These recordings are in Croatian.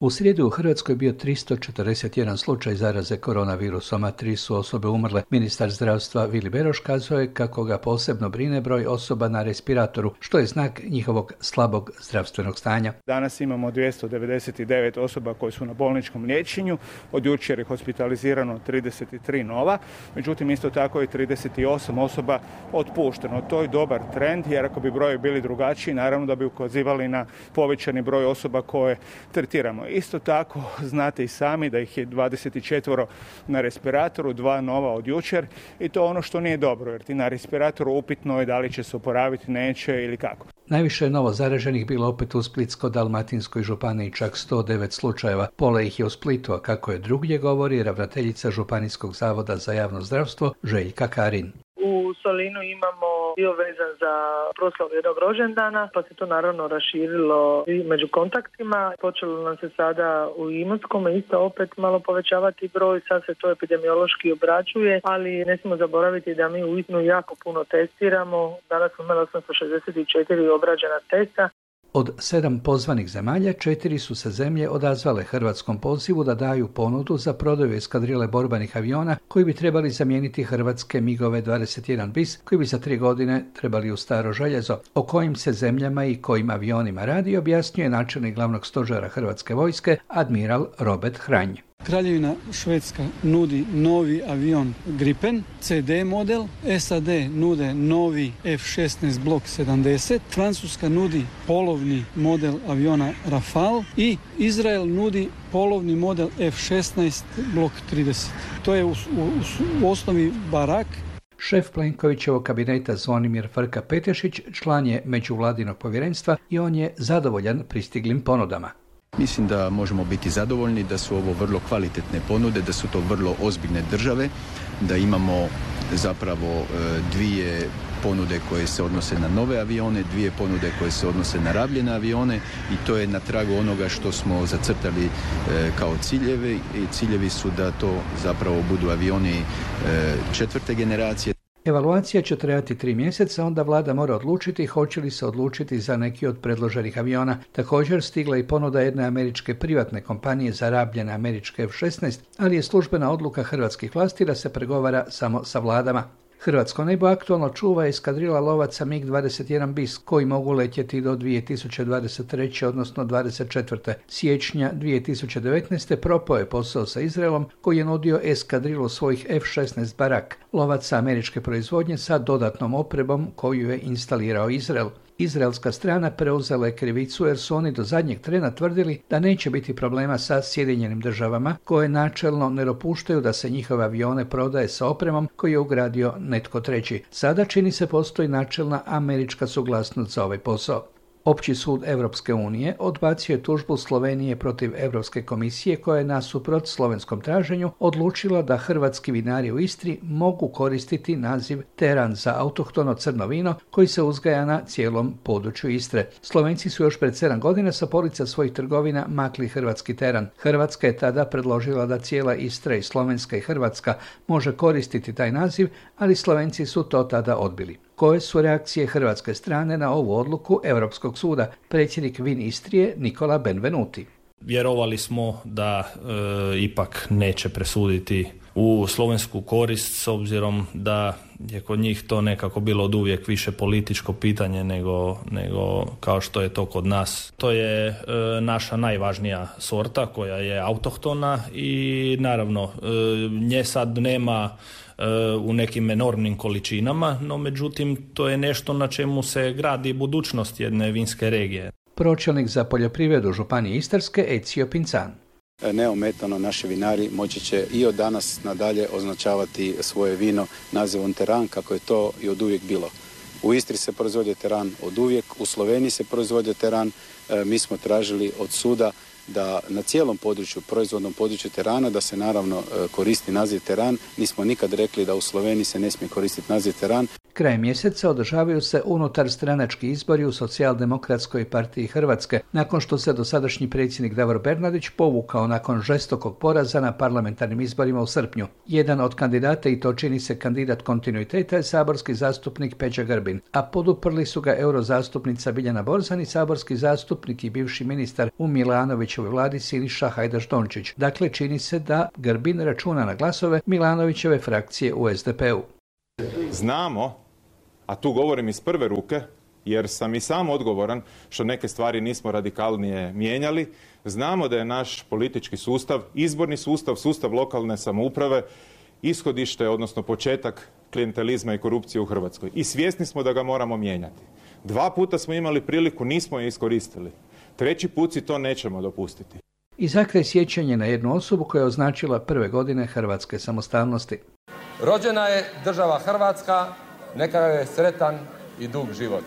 U srijedu u Hrvatskoj je bio 341 slučaj zaraze koronavirusom, a 3 su osobe umrle. Ministar zdravstva Vili Beroš kazao je kako ga posebno brine broj osoba na respiratoru, što je znak njihovog slabog zdravstvenog stanja. Danas imamo 299 osoba koji su na bolničkom liječenju, od jučer je hospitalizirano 33 nova, međutim isto tako je 38 osoba otpušteno. To je dobar trend, jer ako bi brojevi bili drugačiji, naravno da bi ukazivali na povećani broj osoba koje tretiramo. Isto tako znate i sami da ih je 24 na respiratoru, 2 nova od jučer i to ono što nije dobro, jer ti na respiratoru upitno je da li će se oporaviti, neće ili kako. Najviše je novo zaraženih bilo opet u Splitsko-dalmatinskoj županiji, čak 109 slučajeva. Pola ih je u Splitu, a kako je drugdje govori ravnateljica Županijskog zavoda za javno zdravstvo Željka Karin. U Solinu imamo dio vezan za proslavu jednog rođendana, pa se to naravno raširilo i među kontaktima. Počelo nam se sada u Imotskome isto opet malo povećavati broj, sad se to epidemiološki obrađuje, ali ne smijemo zaboraviti da mi uistinu jako puno testiramo. Danas smo imali 864 obrađena testa. Od 7 pozvanih zemalja, 4 su se zemlje odazvale hrvatskom pozivu da daju ponudu za prodaju eskadrile borbenih aviona koji bi trebali zamijeniti hrvatske MIG-ove 21 bis koji bi za 3 godine trebali u staro željezo. O kojim se zemljama i kojim avionima radi, objasnjuje načelnik glavnog stožera Hrvatske vojske, admiral Robert Hranj. Kraljevina Švedska nudi novi avion Gripen, CD model, SAD nude novi F-16 Block 70, Francuska nudi polovni model aviona Rafale i Izrael nudi polovni model F-16 Block 30. To je u osnovi barak. Šef Plenkovićevog kabineta Zvonimir Frka-Petešić član je međuvladinog povjerenstva i on je zadovoljan pristiglim ponudama. Mislim da možemo biti zadovoljni da su ovo vrlo kvalitetne ponude, da su to vrlo ozbiljne države, da imamo zapravo 2 ponude koje se odnose na nove avione, 2 ponude koje se odnose na rabljene avione i to je na tragu onoga što smo zacrtali kao ciljevi i ciljevi su da to zapravo budu avioni 4. generacije. Evaluacija će trajati 3 mjeseca, onda vlada mora odlučiti hoće li se odlučiti za neki od predloženih aviona. Također stigla i ponuda jedne američke privatne kompanije za rabljene američke F-16, ali je službena odluka hrvatskih vlasti da se pregovara samo sa vladama. Hrvatsko nebo aktualno čuva eskadrila lovaca MiG-21 bis koji mogu letjeti do 2023. odnosno 24. Siječnja 2019. propao je posao sa Izraelom koji je nudio eskadrilu svojih F-16 Barak, lovaca američke proizvodnje sa dodatnom opremom koju je instalirao Izrael. Izraelska strana preuzela je krivicu jer su oni do zadnjeg trena tvrdili da neće biti problema sa Sjedinjenim državama koje načelno ne dopuštaju da se njihove avione prodaje sa opremom koju je ugradio netko treći. Sada čini se postoji načelna američka suglasnost za ovaj posao. Opći sud Europske unije odbacio je tužbu Slovenije protiv Europske komisije koja je nasuprot slovenskom traženju odlučila da hrvatski vinari u Istri mogu koristiti naziv teran za autohtono crno vino koji se uzgaja na cijelom području Istre. Slovenci su još pred 7 godina sa polica svojih trgovina makli hrvatski teran. Hrvatska je tada predložila da cijela Istra i Slovenska i Hrvatska može koristiti taj naziv, ali Slovenci su to tada odbili. Koje su reakcije hrvatske strane na ovu odluku Europskog suda? Predsjednik Vin Istrije Nikola Benvenuti. Vjerovali smo da ipak neće presuditi u slovensku korist s obzirom da je kod njih to nekako bilo od uvijek više političko pitanje nego kao što je to kod nas. To je naša najvažnija sorta koja je autohtona i naravno nje sad nema u nekim enormnim količinama, no međutim to je nešto na čemu se gradi budućnost jedne vinske regije. Pročelnik za poljoprivredu Županije Istarske Ezio Pinzan. Neometano naši vinari moći će i od danas nadalje označavati svoje vino nazivom teran kako je to i od uvijek bilo. U Istri se proizvodi teran od uvijek, u Sloveniji se proizvodi teran. Mi smo tražili od suda da na cijelom području, proizvodnom području terana, da se naravno koristi naziv teran. Nismo nikad rekli da u Sloveniji se ne smije koristiti naziv teran. Krajem mjeseca održavaju se unutar stranački izbori u Socijaldemokratskoj partiji Hrvatske, nakon što se dosadašnji predsjednik Davor Bernardić povukao nakon žestokog poraza na parlamentarnim izborima u srpnju. Jedan od kandidata, i to čini se kandidat kontinuiteta, je saborski zastupnik Peđa Grbin, a poduprli su ga eurozastupnica Biljana Borzan i saborski zastupnik i bivši ministar u Milanovićevoj Milanovićevoj vladi Siniša Hajdaš-Dončić. Dakle, čini se da Grbin računa na glasove Milanovićeve frakcije u SDP-u. Znamo, a tu govorim iz prve ruke, jer sam i sam odgovoran što neke stvari nismo radikalnije mijenjali. Znamo da je naš politički sustav, izborni sustav, sustav lokalne samouprave, ishodište, odnosno početak klijentelizma i korupcije u Hrvatskoj. I svjesni smo da ga moramo mijenjati. 2 puta smo imali priliku, nismo je iskoristili. 3. put si to nećemo dopustiti. I za kraj sjećanje na jednu osobu koja je označila prve godine hrvatske samostalnosti. Rođena je država Hrvatska, neka je sretan i dug život.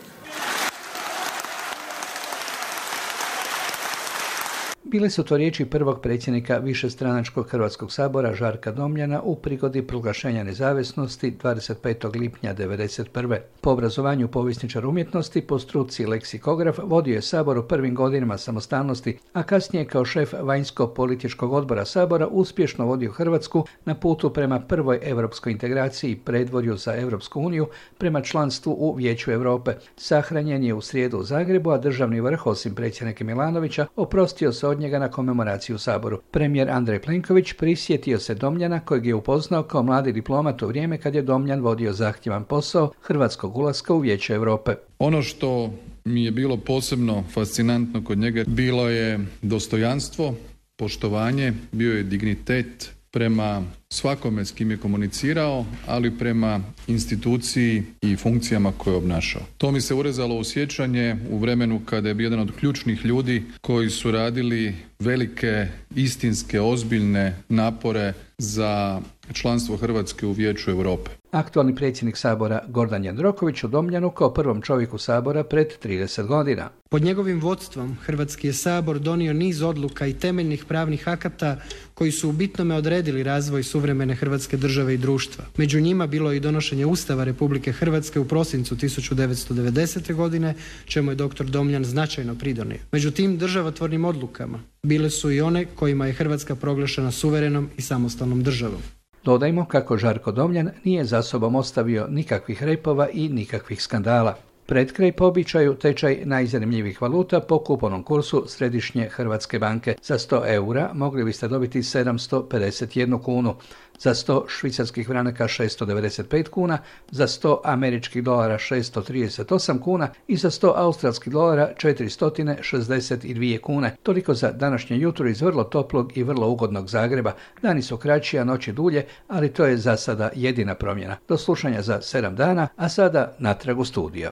Bile su to riječi prvog predsjednika višestranačkog Hrvatskog sabora Žarka Domjana u prigodi proglašenja nezavisnosti 25. lipnja 1991. Po obrazovanju povjesničar umjetnosti, po struci leksikograf, vodio je Sabor u prvim godinama samostalnosti, a kasnije kao šef vanjsko-političkog odbora Sabora uspješno vodio Hrvatsku na putu prema prvoj europskoj integraciji i predvorju za Europsku uniju prema članstvu u Vijeću Europe. Sahranjen je u srijedu u Zagrebu, a državni vrh, osim predsjednika Milanovića, oprostio se od njega na komemoraciju u Saboru. Premijer Andrej Plenković prisjetio se Domjana, kojeg je upoznao kao mladi diplomat u vrijeme kad je Domjan vodio zahtjevan posao hrvatskog ulaska u Vijeće Europe. Ono što mi je bilo posebno fascinantno kod njega bilo je dostojanstvo, poštovanje, bio je dignitet prema svakome s kim je komunicirao, ali prema instituciji i funkcijama koje je obnašao. To mi se urezalo u sjećanje u vremenu kada je bio jedan od ključnih ljudi koji su radili velike, istinske, ozbiljne napore za članstvo Hrvatske u Vijeću Europe. Aktualni predsjednik Sabora Gordan Jandroković u Domjanu kao prvom čovjeku Sabora pred 30 godina. Pod njegovim vodstvom Hrvatski je Sabor donio niz odluka i temeljnih pravnih akata koji su u bitnome odredili razvoj suvremene Hrvatske države i društva. Među njima bilo je i donošenje Ustava Republike Hrvatske u prosincu 1990. godine, čemu je dr. Domjan značajno pridonio. Među tim državotvornim odlukama bile su i one kojima je Hrvatska proglašena suverenom i samostalnom državom. Dodajmo kako Žarko Domjan nije za sobom ostavio nikakvih repova i nikakvih skandala. Pred kraj po običaju tečaj najzanimljivih valuta po kupovnom kursu Središnje Hrvatske banke. Za 100 eura mogli biste dobiti 751 kunu, za 100 švicarskih franaka 695 kuna, za 100 američkih dolara 638 kuna i za 100 australskih dolara 462 kune. Toliko za današnje jutro iz vrlo toplog i vrlo ugodnog Zagreba. Dani su kraći, a noći dulje, ali to je za sada jedina promjena. Do slušanja za 7 dana, a sada natrag u studio.